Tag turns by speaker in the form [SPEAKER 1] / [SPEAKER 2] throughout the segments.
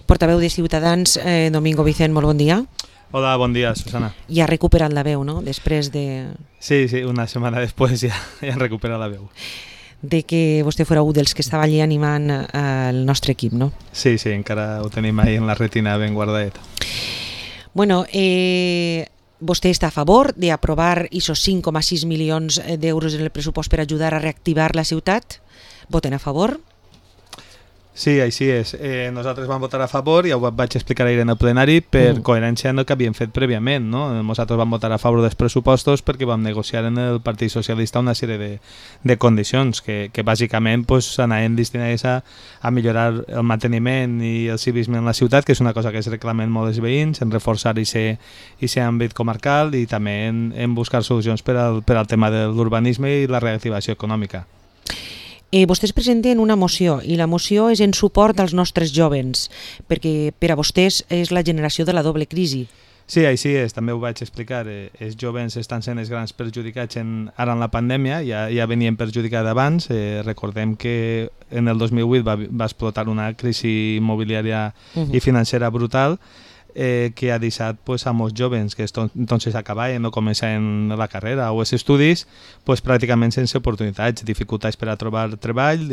[SPEAKER 1] Portaveu de Ciutadans, Domingo Vicent, molt bon dia.
[SPEAKER 2] Hola, bon dia, Susana.
[SPEAKER 1] Ja ha recuperat la veu, no?, després de...
[SPEAKER 2] Sí, una setmana després ja he recuperat la veu.
[SPEAKER 1] De que vostè fora un dels que estava allí animant el nostre equip, no?
[SPEAKER 2] Sí, encara ho tenim ahí en la retina ben guardadet.
[SPEAKER 1] Bueno, vostè està a favor d'aprovar aquests 5,6 milions d'euros en el pressupost per ajudar a reactivar la ciutat? Voten a favor?
[SPEAKER 2] Sí, així és. Nosaltres vam votar a favor, ja ho vaig explicar ahir en el plenari, per coherència amb el que havíem fet prèviament, no? Nosaltres vam votar a favor dels pressupostos perquè vam negociar en el Partit Socialista una sèrie de condicions que bàsicament anaven destinades a millorar el manteniment i el civisme en la ciutat, que és una cosa que es reclamen molt els veïns, en reforçar aquest àmbit comarcal i també en buscar solucions per al tema de l'urbanisme i la reactivació econòmica.
[SPEAKER 1] Vostès presenten una moció i la moció és en suport als nostres jovens, perquè per a vostès és la generació de la doble crisi.
[SPEAKER 2] Sí, així és, també ho vaig explicar. Els jovens estan sent els grans perjudicats ara en la pandèmia, ja venien perjudicats abans. Recordem que en el 2008 va explotar una crisi immobiliària i financera brutal, que ha deixat a molts jovens que entonces acabaven o començaven la carrera o els estudis pràcticament sense oportunitats, dificultats per a trobar treball,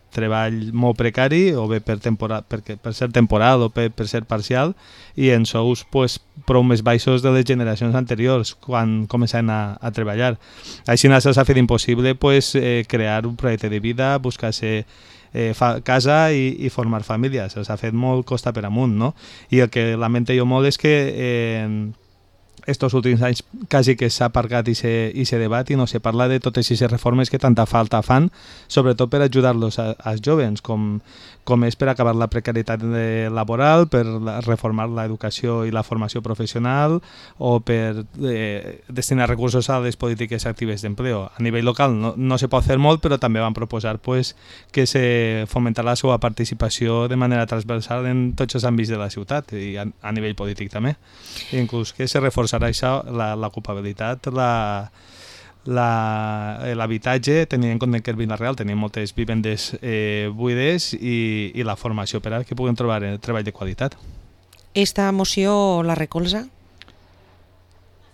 [SPEAKER 2] treball molt precari o bé per ser temporal o per ser parcial i en sous prou més baixos de les generacions anteriors quan començaven a treballar. Així se'ls ha fet impossible crear un projecte de vida, buscar-se casa i formar família. Se'ls ha fet molt costa per amunt, no? I el que lamento jo molt és que estos últims anys quasi que s'ha aparcat i se debat i no se parla de totes aquestes reformes que tanta falta fan, sobretot per ajudar-los als jovens, com és per acabar la precarietat laboral, per reformar l'educació i la formació professional o per destinar recursos a les polítiques actives d'empleo. A nivell local no se pot fer molt, però també van proposar que se fomentarà la seva participació de manera transversal en tots els àmbits de la ciutat i a nivell polític també. Inclús que se reforçarà això, l'ocupabilitat, l'habitatge, tenint en compte que el Vila-real tenia moltes vivendes buides i la formació per a que puguin trobar treball de qualitat.
[SPEAKER 1] Esta moció la recolza?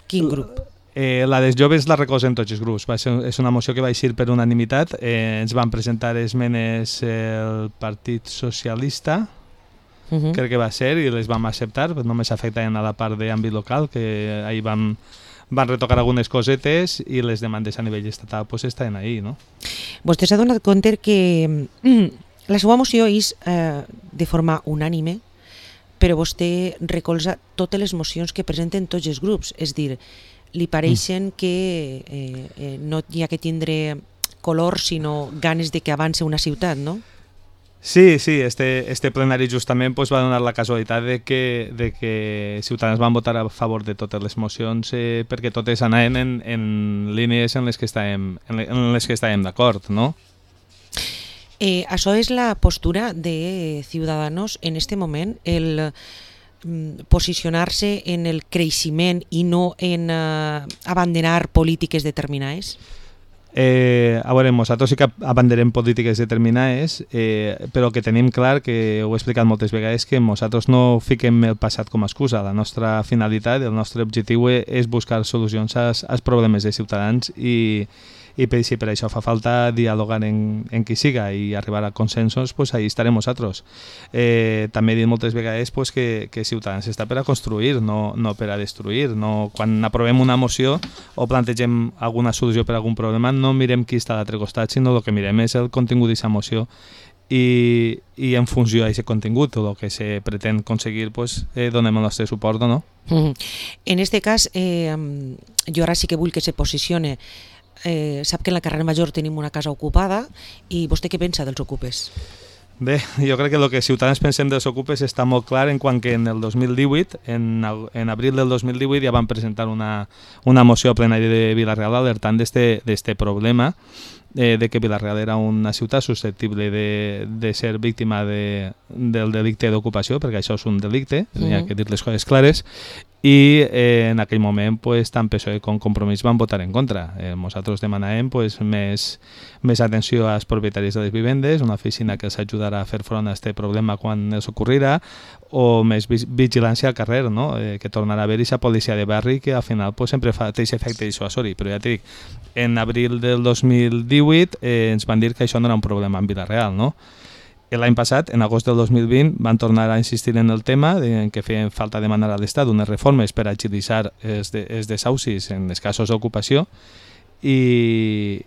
[SPEAKER 1] Quin grup?
[SPEAKER 2] La dels joves la recolzen tots els grups. És una moció que va eixir per unanimitat. Ens van presentar esmenes el Partit Socialista, crec que va ser, i les vam acceptar, només afectaven a la part d'àmbit local, que ahir van retocar algunes cosetes i les demandes a nivell estatal estaven ahí, no?
[SPEAKER 1] Vostè s'ha donat compte que la seva moció és de forma unànime, però vostè recolza totes les mocions que presenten tots els grups, és dir, li pareixen que no hi ha que tindre color, sinó ganes de que avance una ciutat, no?
[SPEAKER 2] Sí, este plenari justament va donar la casualitat de que Ciutadans van votar a favor de totes les mocions perquè totes anaven en línies en les que estàvem d'acord, no?
[SPEAKER 1] Això és la postura de Ciudadanos en este moment, el posicionar-se en el creixement i no en abandonar polítiques determinades?
[SPEAKER 2] A veure, nosaltres sí que abanderem polítiques determinades, però que tenim clar, que ho he explicat moltes vegades, que nosaltres no fiquem el passat com a excusa. La nostra finalitat, el nostre objectiu és buscar solucions als problemes de ciutadans i si per això fa falta dialogar en qui siga i arribar a consensos, ahí estarem nosaltres. També he dit moltes vegades que Ciutadans està per a construir, no per a destruir. Quan aprovem una moció o plantegem alguna solució per a algun problema, no mirem qui està a l'altre costat, sinó el que mirem és el contingut d'aquesta moció i en funció d'aquest contingut, el que se pretén aconseguir, donem el nostre suport o no.
[SPEAKER 1] En aquest cas, jo ara sí que vull que se posicione. Sap que en la carrera Major tenim una casa ocupada i vostè què pensa dels ocupes?
[SPEAKER 2] Bé, jo crec que el que Ciutadans pensem dels ocupes està molt clar en quant que en el 2018, en abril del 2018 ja van presentar una moció a plenari de Vila-real alertant d'este problema de que Vila-real era una ciutat susceptible de ser víctima del delicte d'ocupació, perquè això és un delicte, hi ha que dir les coses clares, i en aquell moment pues, tant PSOE com Compromís van votar en contra. Nosaltres demanàvem pues, més atenció als propietaris de les vivendes, una oficina que els ajudarà a fer front a aquest problema quan els ocorrirà, o més vigilància al carrer, no? Que tornarà a haver aquesta policia de barri que al final pues, sempre fa aquest efecte dissuasori. Però ja t'ho dic, en abril del 2018 ens van dir que això no era un problema en Vila-real, no? L'any passat, en agost del 2020, van tornar a insistir en el tema en què feien falta demanar a l'Estat unes reformes per agilitzar els desaucis en els casos d'ocupació i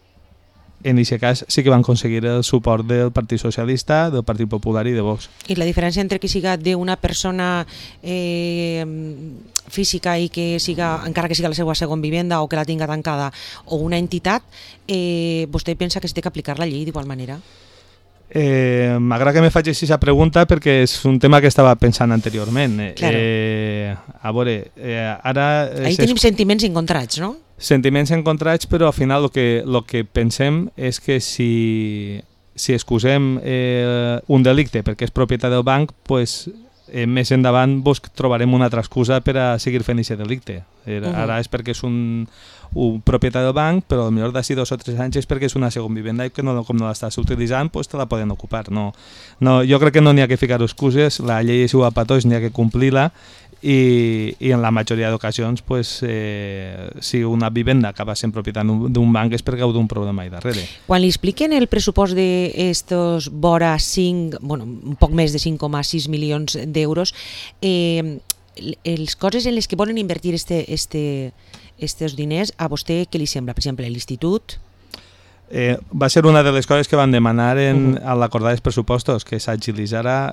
[SPEAKER 2] en aquest cas sí que van aconseguir el suport del Partit Socialista, del Partit Popular i de Vox.
[SPEAKER 1] I la diferència entre que siga d'una persona física i que siga, encara que siga la seva segona vivenda o que la tinga tancada, o una entitat, vostè pensa que s'ha d'aplicar la llei d'igual manera?
[SPEAKER 2] M'agrada que me facis aquesta pregunta perquè és un tema que estava pensant anteriorment.
[SPEAKER 1] Claro.
[SPEAKER 2] A veure, ara...
[SPEAKER 1] Ahí tenim sentiments encontrats, no?
[SPEAKER 2] Sentiments encontrats, però al final el que pensem és que si excusem un delicte perquè és propietat del banc, pues, més endavant trobarem una altra excusa per a seguir fent aquest delicte. Ara és perquè és un propietat del banc, però potser d'ací 2 o 3 anys és perquè és una segona vivenda i que com no l'estàs utilitzant, pues te la poden ocupar. No, jo crec que no n'hi ha que ficar excuses, la llei és igual per tots, n'hi ha que complir-la i en la majoria d'ocasions pues, si una vivenda acaba sent propietat d'un banc és perquè hi ha un problema ahí darrere.
[SPEAKER 1] Quan li expliquen el pressupost d'estos vora 5, bueno, un poc més de 5,6 milions d'euros, les coses en les que volen invertir estos diners, a vostè què li sembla? Per exemple, l'Institut?
[SPEAKER 2] Va ser una de les coses que van demanar a l'acordar els pressupostos, que s'agilitzara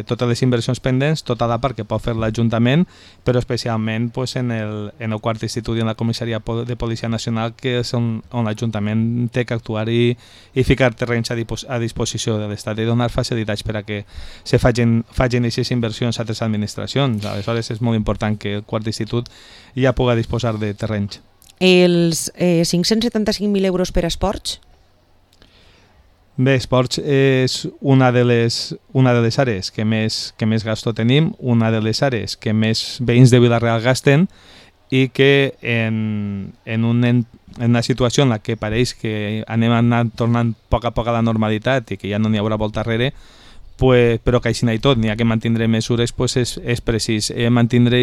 [SPEAKER 2] totes les inversions pendents, tota la part que pot fer l'Ajuntament, però especialment pues, en el quart institut i en la comissaria de Policia Nacional, que és on l'Ajuntament té que actuar i ficar terrenys a disposició de l'Estat i donar facilitats per a que se facin aquestes inversions a altres administracions. Aleshores és molt important que el quart institut ja pugui disposar de terrenys.
[SPEAKER 1] Els 575.000 euros per a esports?
[SPEAKER 2] Bé, esports és una de les àrees que més gasto tenim, una de les àrees que més veïns de Vila-real gasten i que en una situació en la que pareix que anem tornant a poc a la normalitat i que ja no n'hi haurà volta enrere, però que així i tot n'hi ha que mantindre mesures, és precís mantindre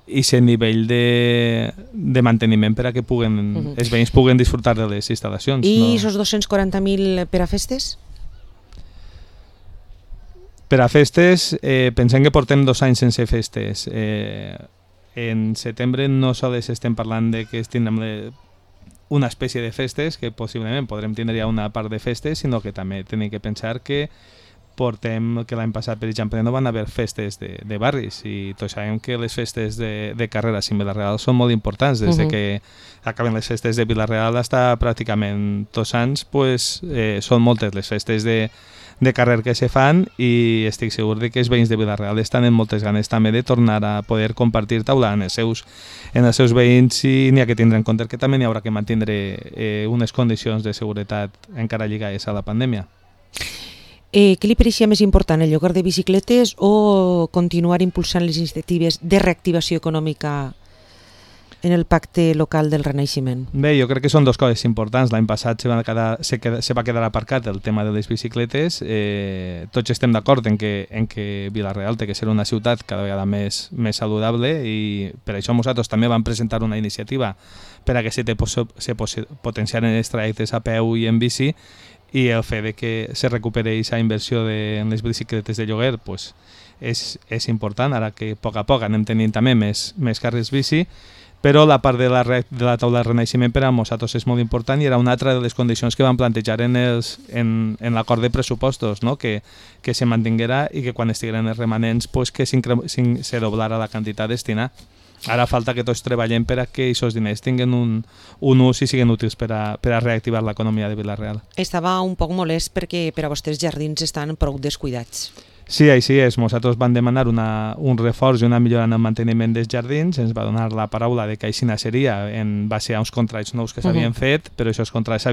[SPEAKER 2] aquest nivell de manteniment per a que els veïns puguen disfrutar de les instal·lacions.
[SPEAKER 1] I aquests 240.000 per a festes?
[SPEAKER 2] Per a festes, pensem que portem 2 anys sense festes. En setembre no sols estem parlant de que tindrem una espècie de festes, que possiblement podrem tindre ja una part de festes, sinó que també tenim que pensar que l'any passat, per exemple, no van haver festes de barris i tots sabem que les festes de carreres en Vila-real són molt importants. Des que acaben les festes de Vila-real fins pràcticament 2 anys, són moltes les festes de carrer que se fan i estic segur que els veïns de Vila-real estan en moltes ganes també de tornar a poder compartir taula en els seus veïns i n'hi ha que tindre en compte que també n'hi haurà que mantenir unes condicions de seguretat encara lligades a la pandèmia.
[SPEAKER 1] Què li pareixia més important, el lloguer de bicicletes o continuar impulsant les iniciatives de reactivació econòmica en el pacte local del Renaixement?
[SPEAKER 2] Bé, jo crec que són 2 coses importants. L'any passat se va quedar aparcat el tema de les bicicletes. Tots estem d'acord en que Vila-real té que ser una ciutat cada vegada més saludable i per això nosaltres també vam presentar una iniciativa per a que se potenciaren els trajectes a peu i en bici i el fet de que se recuperi aquesta inversió en les bicicletes de lloguer és important, ara que a poc anem tenint també més carrils bici, però la part de la taula de renaixement per a nosaltres és molt important i era una altra de les condicions que vam plantejar en l'acord de pressupostos, no? que se mantinguera i que quan estigueren els remanents que se doblara la quantitat destinada. Ara falta que tots treballem per a que aquests diners tinguin un ús i siguin útils per a reactivar l'economia de Vila-real.
[SPEAKER 1] Estava un poc molest perquè per a vostès jardins estan prou descuidats.
[SPEAKER 2] Sí, així és. Nosaltres vam demanar un reforç i una millora en el manteniment dels jardins. Ens va donar la paraula de que així seria en base a uns contrats nous que s'havien fet, però aquests contrats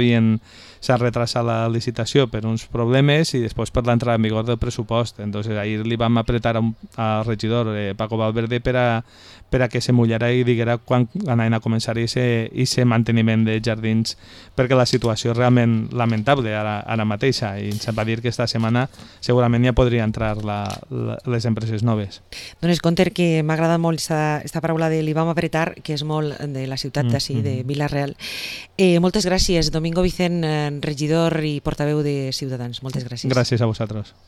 [SPEAKER 2] s'ha retrasat la licitació per uns problemes i després per l'entrada en vigor del pressupost. Entonces ahir li vam apretar al regidor Paco Valverde per a que se mullara i diguera quan anaven a començar aquest manteniment de jardins, perquè la situació és realment lamentable ara mateixa i ens va dir que esta setmana segurament ja podria entrar les empreses noves.
[SPEAKER 1] Dones compte que m'ha agradat molt esta paraula de li vam apretar, que és molt de la ciutat d'ací, de Vila-real. Moltes gràcies, Domingo Vicent, regidor i portaveu de Ciutadans. Moltes gràcies.
[SPEAKER 2] Gràcies a vosaltres.